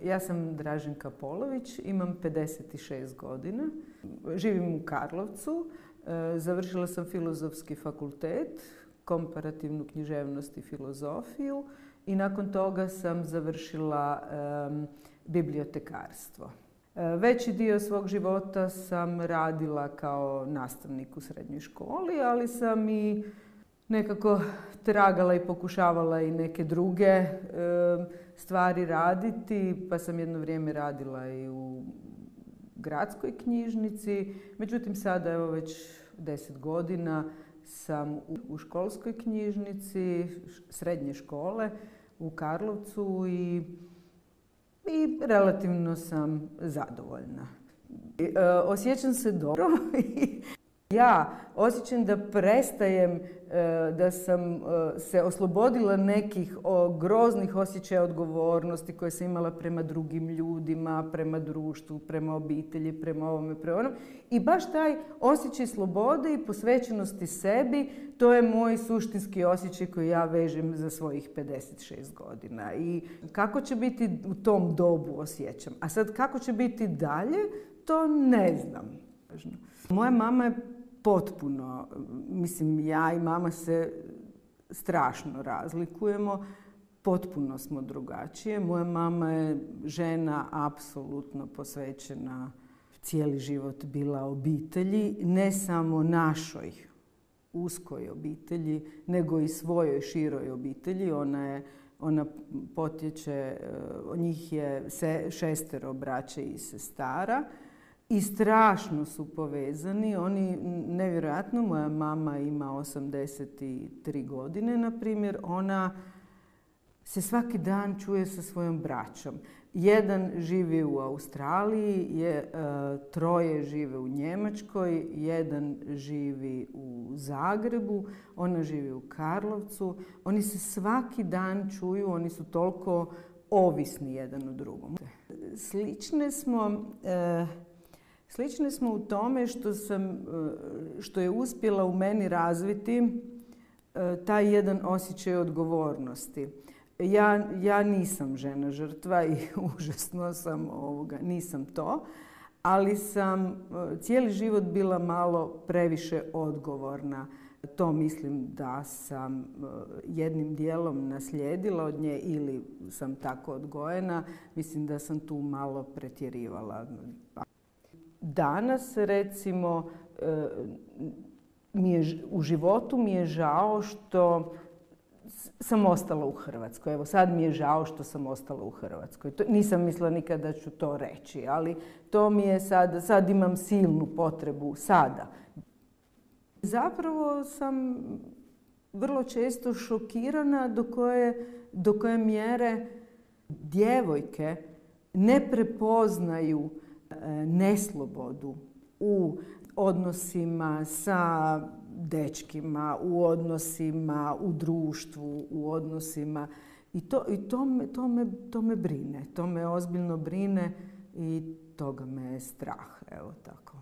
Ja sam Draženka Polović, imam 56 godina, živim u Karlovcu, završila sam Filozofski fakultet, komparativnu književnost i filozofiju i nakon toga sam završila bibliotekarstvo. Veći dio svog života sam radila kao nastavnik u srednjoj školi, ali sam i nekako tragala i pokušavala i neke druge stvari raditi, pa sam jedno vrijeme radila i u gradskoj knjižnici. Međutim, sada evo već 10 godina sam u školskoj knjižnici srednje škole u Karlovcu i relativno sam zadovoljna. Osjećam se dobro. Ja osjećam da prestajem, da sam se oslobodila nekih groznih osjećaja odgovornosti koje sam imala prema drugim ljudima, prema društvu, prema obitelji, prema ovome, prema onom. I baš taj osjećaj slobode i posvećenosti sebi, to je moj suštinski osjećaj koji ja vežem za svojih 56 godina. I kako će biti u tom dobu osjećam. A sad kako će biti dalje, to ne znam. Moja mama je potpuno, mislim, ja i mama se strašno razlikujemo, potpuno smo drugačije. Moja mama je žena apsolutno posvećena, cijeli život bila obitelji, ne samo našoj uskoj obitelji, nego i svojoj široj obitelji. Ona potječe, njih je 6 braće i sestara. I strašno su povezani, oni nevjerojatno, moja mama ima 83 godine, na primjer, ona se svaki dan čuje sa svojom braćom. Jedan živi u Australiji, 3 žive u Njemačkoj, jedan živi u Zagrebu, ona živi u Karlovcu. Oni se svaki dan čuju, oni su toliko ovisni jedan o drugom. Slične smo u tome što je uspjela u meni razviti taj jedan osjećaj odgovornosti. Ja nisam žena žrtva i užasno sam nisam to, ali sam cijeli život bila malo previše odgovorna. To mislim da sam jednim dijelom naslijedila od nje ili sam tako odgojena. Mislim da sam tu malo pretjerivala. Danas, recimo, u životu mi je žao što sam ostala u Hrvatskoj. Evo, sad mi je žao što sam ostala u Hrvatskoj. Nisam mislila nikad da ću to reći, ali to mi je sad imam silnu potrebu sada. Zapravo sam vrlo često šokirana do koje mjere djevojke ne prepoznaju neslobodu u odnosima sa dečkima, u odnosima u društvu, u odnosima. I to me brine, to me ozbiljno brine i toga me je strah, evo tako.